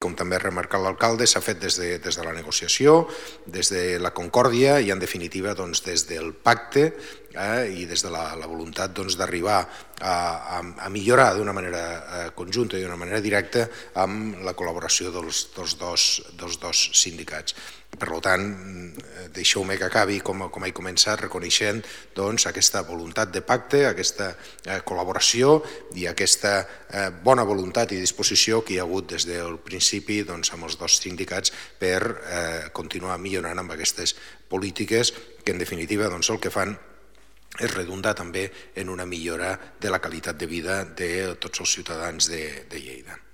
Com també ha remarcat l'alcalde, s'ha fet des de la negociació, des de la concòrdia i, en definitiva, des del pacte i des de la voluntat d'arribar a millorar d'una manera conjunta i d'una manera directa amb la col·laboració dels dos sindicats. Per tant, deixeu-me que acabi com he començat, reconeixent aquesta voluntat de pacte, aquesta col·laboració i aquesta bona voluntat i disposició que hi ha hagut des del principi amb els dos sindicats per continuar millorant amb aquestes polítiques que, en definitiva, el que fan és redundar també en una millora de la qualitat de vida de tots els ciutadans de Lleida.